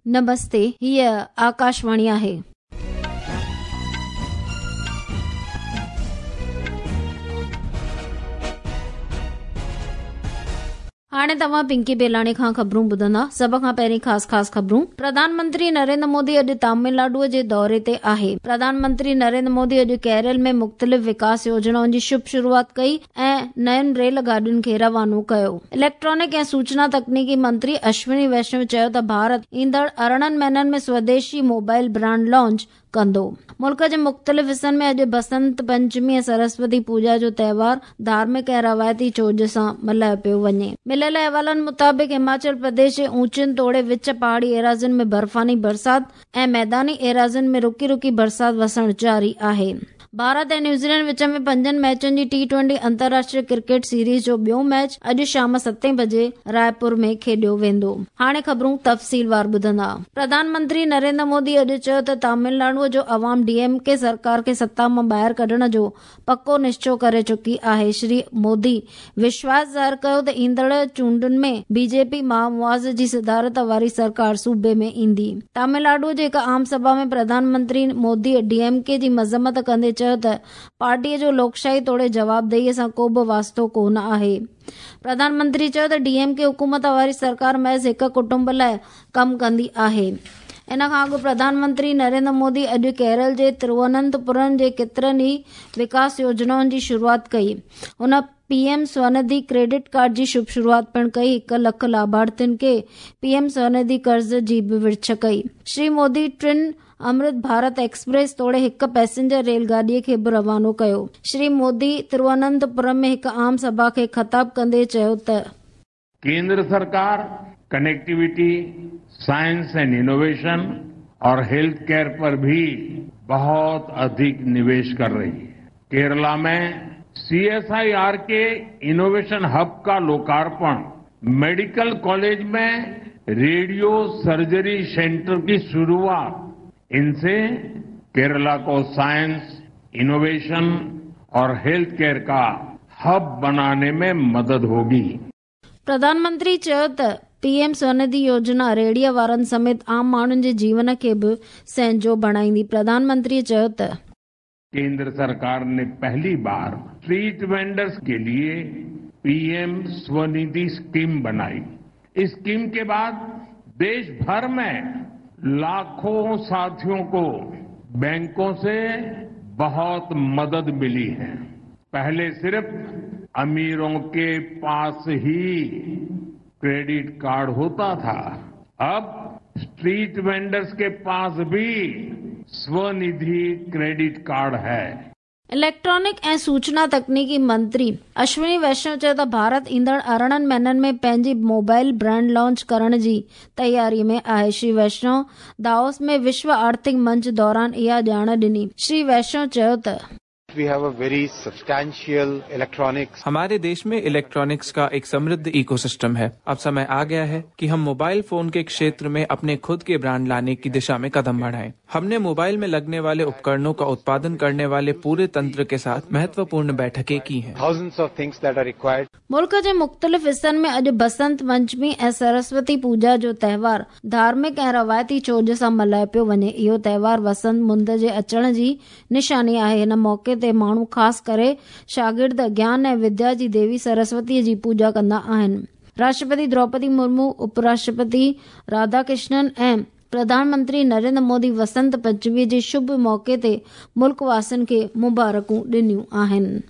نمستي، هيء آڪاشواڻي آهي. هاڻي توهان پنڪي بيلاڻي کان خبرون ٻڌندا. سڀ کان پهرين خاص خاص خبرون. پرڌان منتري نريندر مودي اڄ تامل ناڊو جي دوري تي آهي. پرڌان منتري نريندر مودي اڄ ڪيرل ۾ مختلف وڪاس يوجنائن جي شڀ شروعات ڪئي ۽ نين ريل گاڏين کي روانو ڪيو. اليڪٽرانڪ ۽ سوچنا تڪنيڪي منتري اشوني ويشنو چيو ته ڀارت ايندڙ 18 مهينن ۾ سوديشي موبائل برانڊ لانچ ڪندو. ملڪ جي مختلف حصن ۾ اڄ بسنت پنچمي ۽ سرسوتي پوڄا جو تهوار ڌارمڪ ۽ روايتي چوڄ سان ملهايو پيو وڃي. مليل احوالن مطابق هماچل پرديش جي اوچين توڙي وچ پهاڙي ايراضين ۾ برفاني برسات ۽ ميداني ايراضين ۾ رڪي رڪي برسات وسڻ جاري آهي. ڀارت ۽ نيوزيلينڊ وچ ۾ پنجن ميچن جي ٽي ٽوئنٽي انترراشٽريه ڪرڪيٽ سيريز جو ٻيو ميچ اڄ شام ستين بجي رائپور ۾ کيڏيو ويندو. هاڻي خبرون تفصيلوار ٻڌندا. پرڌان منتري نريندر مودي اڄ چيو ته تامل ناڊو جو عوام ڊي ايم ڪي سرڪار کي ستا مان ٻاهر ڪڍڻ جو پڪو نشچو ڪري چڪي آهي. شري مودي وشواس ظاهر ڪيو ته ايندڙ چونڊن ۾ بي جي پي مهامواز جي صدارت واري سرڪار صوبي ۾ ايندي. تامل ناڊو جي هڪ عام سڀا ۾ Pradhan Mantri Modi D M K جي مذمت ڪندي چيو ته پارٽي جو لوڪشاهي توڙي جوابدهي سان ڪو به واسطو ڪو نه آهي. پرڌان منتري چيو ته ڊي ايم ڪي حڪومت واري سرڪار محض هڪ ڪٽنب لاء ڪم ڪندي آهي. ان کان اڳ پرڌان منتري نريندر مودي اڄ ڪيرل جي ترواننتپورم جي ڪيترن ئي وڪاس يوجنائن جي شروعات ڪئي. هن پي ايم سونڌي ڪريڊٽ ڪارڊ جي شڀ شروعات پڻ ڪئي. هڪ لک لاڀارٿين کي پي ايم سونڌي قرض جي به ورڇ ڪئي. شري مودي ٽن امرت ڀارت ايڪسپريس توڙي هڪ پئسينجر ريل گاڏي کي به روانو ڪيو. شري مودي ترواننتپورم ۾ هڪ عام سڀا کي خطاب ڪندي چيو ته. केंद्र सरकार कनेक्टिविटी, साइंस एंड इनोवेशन और हेल्थ केयर पर भी बहुत अधिक निवेश कर रही है। केरला में सीएसआईआर के इनोवेशन हब का लोकार्पण, मेडिकल कॉलेज में रेडियो सर्जरी सेंटर की शुरुआत, इनसे केरला को साइंस, इनोवेशन और हेल्थ केयर का हब बनाने में मदद होगी। پرڌان منتري چيو ته پي ايم سونڌي يوجنا ريڙهيء وارن سميت عام ماڻهن جي جيون کي به سهنجو بڻائيندي. پرڌان منتري چيو ته. केंद्र सरकार ने पहली बार स्ट्रीट वेंडर्स के लिए पीएम स्वनिधि स्कीम बनाई। इस स्कीम के बाद देश भर में लाखों साथियों को बैंकों से बहुत मदद मिली है। पहले सिर्फ अमीरों के पास ही क्रेडिट कार्ड होता था, अब स्ट्रीट वेंडर्स के पास भी स्वनिधि क्रेडिट कार्ड है। इलेक्ट्रॉनिक ऐं सूचना तकनीकी मंत्री अश्विनी वैष्णव चयो त ڀارت ايندڙ 18 مهينن ۾ پنهنجي موبائل برانڊ لانچ ڪرڻ جي تياري ۾ آهي. شري ويشنو داووس ۾ وشو آرٿڪ منچ دوران اها ڄاڻ ڏني. شري ويشنو چيو ته. We have a very substantial electronics. हमारे देश में इलेक्ट्रॉनिक्स का एक समृद्ध इकोसिस्टम है। अब समय आ गया है कि हम मोबाइल फोन के क्षेत्र में अपने खुद के ब्रांड लाने की दिशा में कदम बढ़ाएं। हमने मोबाइल में लगने वाले उपकरणों का उत्पादन करने वाले पूरे तंत्र के साथ महत्वपूर्ण बैठकें की हैं। Thousands of things that are required. मुल्क जे मुख़्तलिफ़ हिसनि में अॼु बसंत पंचमी ऐं सरस्वती पूॼा जो तहिवार धार्मिक ऐं रवायती चोॼ सां मल्हायो पियो वञे। इहो तहिवार वसंत मुंद जे अचण जी निशानी आहे। हिन मौक़े ते माण्हू ख़ासि करे शागिर्द ज्ञान ऐं विद्या जी देवी सरस्वतीअ जी पूॼा कंदा आहिनि। राष्ट्रपति द्रौपदी मुर्मू, उपराष्ट्रपति राधाकृष्णन ऐं प्रधानमंत्री नरेंद्र मोदी वसंत पंचमी जे शुभ मौक़े ते मुल्क वासियुनि खे मुबारकूं ॾिनियूं आहिनि।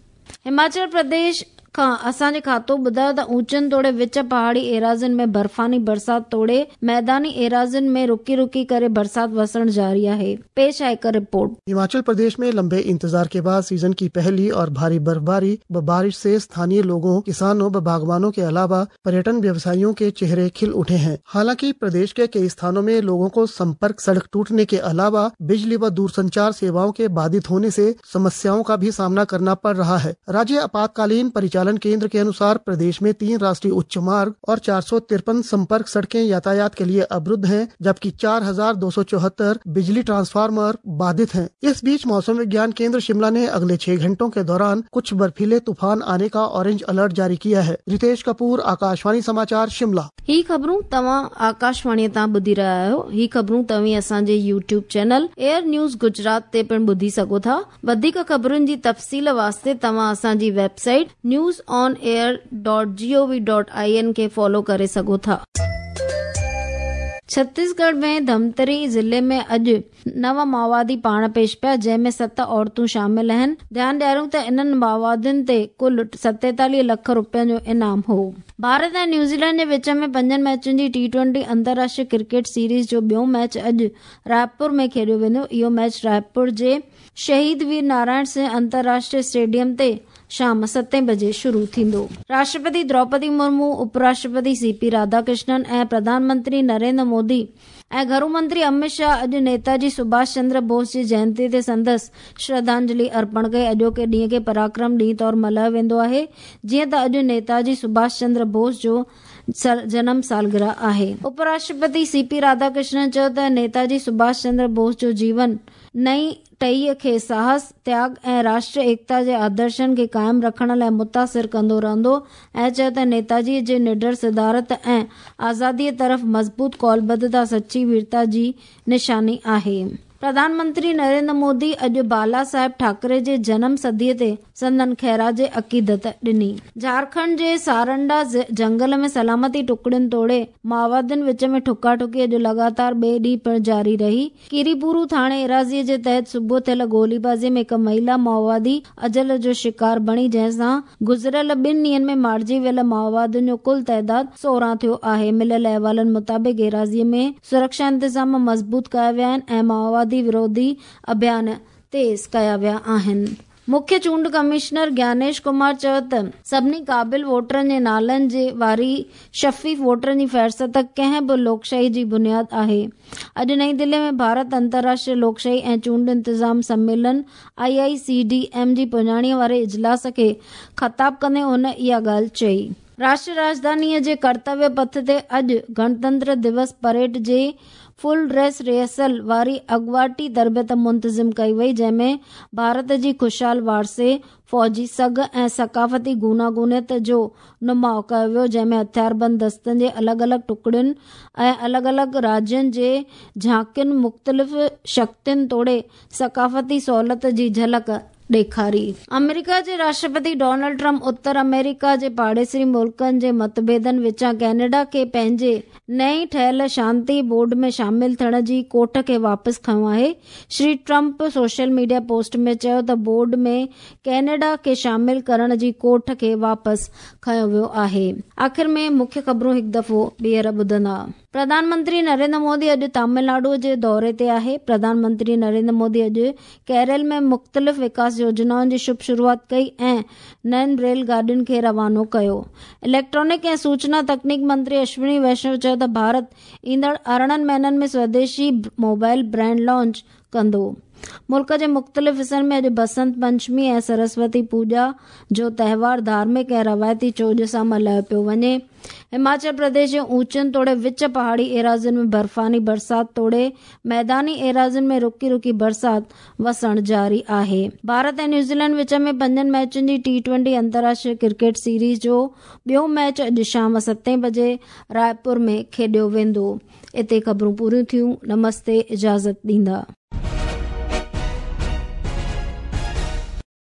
हिमाचल प्रदेश खां असांजे खातो ॿुधायो त ऊंचनि तोड़े विच पहाड़ी एराज़ियुनि में बर्फानी बरसात तोड़े मैदानी एराज़ियुनि में रुकी रुकी करे बरसात वसण जारी आहे। पेश आहे हिकु रिपोर्ट। हिमाचल प्रदेश में लंबे इंतजार के बाद सीजन की पहली और भारी बर्फबारी व बारिश से स्थानीय लोगों, किसानों व बागवानों के अलावा पर्यटन व्यवसायियों के चेहरे खिल उठे हैं। हालांकि प्रदेश के कई स्थानों में लोगों को संपर्क सड़क टूटने के अलावा बिजली व दूरसंचार सेवाओं के बाधित होने से समस्याओं का भी सामना करना पड़ रहा है। राज्य आपातकालीन परिचालन परिचालन केंद्र के अनुसार प्रदेश में 3 राष्ट्रीय उच्च मार्ग और 453 संपर्क सड़कें यातायात के लिए अवरुद्ध हैं, जबकि 4,274 बिजली ट्रांसफार्मर बाधित हैं। इस बीच मौसम विज्ञान केंद्र शिमला ने अगले 6 घंटों के दौरान कुछ बर्फीले तूफान आने का ऑरेंज अलर्ट जारी किया है। रितेश कपूर, आकाशवाणी समाचार, शिमला। ही ख़बरूं तव्हां आकाशवाणीअ तां ॿुधी रहिया आहियो। ही ख़बरूं तव्हीं असांजे YouTube channel AIR news Gujarat ते पिणु ॿुधी सघो था। वधीक ख़बरुनि जी तफ़सील वास्ते तव्हां असांजी वेबसाइट newsonair.gov.in खे फॉलो करे सघो था। छत्तीसगढ़ में धमतरी ज़िले में अॼु 9 माओवादी पाण पेश पिया, जंहिंमें 7 औरतूं शामिल आहिनि। ध्यानु ॾियारियूं त इन्हनि माओवादियुनि ते कुल 47 लख रुपयनि जो इनाम हो। भारत ऐं न्यूज़ीलैंड जे विच में 5 मैचुनि जी T20 अंतर्राष्ट्रीय क्रिकेट सीरीज़ जो ॿियो मैच अॼु रायपुर में खेॾियो वेंदो। इहो मैच रायपुर जे शहीद वीर नारायण सिंह अंतर्राष्ट्रीय स्टेडियम ते शाम 7 बजे शुरू थींदो। राष्ट्रपति द्रौपदी मुर्मू, उपराष्ट्रपति सीपी राधाकृष्णन ऐं प्रधानमंत्री नरेंद्र मोदी ऐं घरू मंत्री अमित शाह अॼु नेताजी सुभाष चंद्र बोस जी जयंती ते संदसि श्रद्धांजलि अर्पण कई। अॼोके ॾींहं खे पराक्रम ॾींहं तौरु मल्हायो वेंदो आहे, जीअं त अॼु नेताजी सुभाष चंद्र बोस जो जनम सालगिरह आहे। उपराष्ट्रपति सीपी राधाकृष्णन चयो त नेताजी सुभाष चंद्र बोस जो जीवन नई टहीअ खे साहस, त्याग ऐं राष्ट्रीय एकता जे आदर्शनि खे क़ाइमु रखण लाइ मुतासिर कंदो रहंदो ऐं चयो त नेताजीअ जे निडर सिदारत ऐं आज़ादीअ तरफ़ मज़बूत कौलबद्धता सची वीरता जी निशानी आहे। प्रधानमंत्री नरेंद्र मोदी अॼु बाला साहेब ठाकरे जे जनम सदीअ ते संदन ख़ैराज अक़ीदत ॾिनी। झारखंड जे सारंडा जंगल में सलामती टुकड़ियुनि तोड़े माओवादियुनि विच में ठुका-ठुकी अॼु लगातार ॿिए ॾींहुं पिणु जारी रही। कीरीपुरू थाणे एराज़ीअ जे तहत सुबुह थियल गोलीबाज़ी में हिकु महिला माओवादी अजल जो शिकार बणी, जंहिंसां गुज़िरियल 2 ॾींहंनि में मारिजी वियल माओवादियुनि जो कुल तादाद 16 थियो आहे। मिलियल अहवालनि मुताबिक़ एराज़ीअ में सुरक्षा इंतज़ाम मज़बूत कया विया आहिनि ऐं माओवादी विरोधी अभियान तेज़ कया विया आहिनि। मुख्य चूंड कमिश्नर ज्ञानेश कुमार चयो त सभिनी क़ाबिल वोटरनि जे नालनि जे वारी शफ़ीफ़ वोटरनि जी फ़हरिस्त कंहिं बि लोकशाही जी बुनियाद आहे। अॼु नई दिल्ली में भारत अंतर्राष्ट्रीय लोकशाही ऐं चूंड इंतज़ाम सम्मेलन IICDM जी पुॼाणीअ वारे इजलास खे ख़िताब कंदे हुन इहा ॻाल्हि चई। राष्ट्रीय राजधानीअ जे कर्तव्य पथ ते अॼु गणतंत्र दिवस परेड जे फुल ड्रेस रिहर्सल वारी अॻुवाटी तरबियत मुंतज़िम कई वई, जंहिंमें भारत जी ख़ुशहाल वारसे, फ़ौजी सघ ऐं सकाफ़ती गूनागूनियत जो नुमाउ कयो वियो, जंहिंमें हथियारबंद दस्तनि जे अलॻि अलॻि टुकड़ियुनि ऐं अलॻि अलॻि राज्यनि जे झांकियुनि, मुख़्तलिफ़ शक्तियुनि तोड़े सकाफ़ती सहूलियत जी झलक ॾेखारी। अमेरिका जे राष्ट्रपति डोनाल्ड ट्रंप उत्तर अमेरिका जे पाड़ेसरी मुल्कनि जे मतभेदनि विचां कैनेडा खे पंहिंजे नई ठहियल शांति बोर्ड में शामिल थियण जी कोठ खे वापसि खयो आहे। Shri Trump social media post में चयो त बोर्ड में कैनेडा खे शामिल करण जी कोठ खे वापसि खयो वियो आहे। आख़िर में मुख्य ख़बरूं हिकु दफ़ो ॿीहर ॿुधंदा। प्रधानमंत्री नरेंद्र मोदी अॼु तमिलनाडु जे दौरे ते आहे। प्रधानमंत्री नरेंद्र मोदी अॼु केरल में मुख़्तलिफ़ विकास योजनाउनि जी शुभ शुरुआत कई ऐं नयुनि रेल गाॾियुनि खे रवानो कयो। इलेक्ट्रॉनिक ऐं सूचना तकनीक मंत्री अश्विनी वैष्णव चयो त भारत ईंदड़ 18 महीननि में स्वदेशी मोबाइल ब्रांड लॉन्च कंदो। मुल्क जे मुख़्तलिफ़ हिसनि में अॼु बसंत पंचमी ऐं सरस्वती पूॼा जो तहिवार धार्मिक ऐं रवायती चोॼ सां मल्हायो पियो वञे। हिमाचल प्रदेश जे ऊंचनि तोड़े विच पहाड़ी एराज़ियुनि में बर्फ़ानी बरसात तोड़े मैदानी एराज़ियुनि में रुकी रुकी बरसात वसणु जारी आहे। भारत ऐं न्यूज़ीलैंड विच में 5 मैचुनि जी T20 अंतर्राष्ट्रीय क्रिकेट सीरीज़ जो ॿियो मैच अॼु शाम 7 बजे रायपुर में खेॾियो वेंदो। हिते ख़बरूं पूरियूं थियूं। नमस्ते, इजाज़त ॾींदा।